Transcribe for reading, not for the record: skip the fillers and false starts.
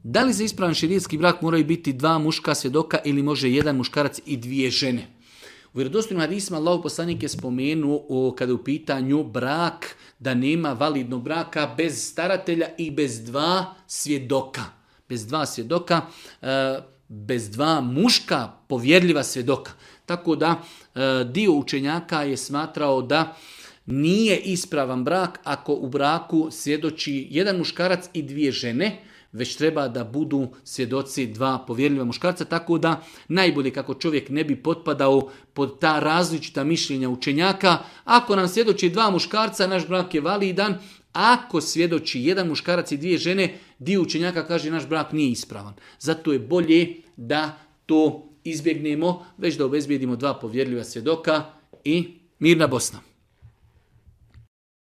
Da li za ispravan šerijatski brak moraju biti 2 muška svjedoka ili može 1 muškarac i 2 žene? U vjerodostojnim hadisima Allahov poslanik je spomenuo kada je u pitanju brak da nema validnog braka bez staratelja i bez 2 svjedoka. Bez 2 svjedoka, bez 2 muška povjerljiva svjedoka. Tako da dio učenjaka je smatrao da nije ispravan brak ako u braku svjedoči 1 muškarac i 2 žene, već treba da budu svjedoci 2 povjerljiva muškarca, tako da najbolje kako čovjek ne bi potpadao pod ta različita mišljenja učenjaka. Ako nam svjedoči 2 muškarca, naš brak je validan. Ako svjedoči 1 muškarac i 2 žene, dio učenjaka kaže naš brak nije ispravan. Zato je bolje da to izbjegnemo, već da obezbijedimo 2 povjerljiva svjedoka i mirna Bosna.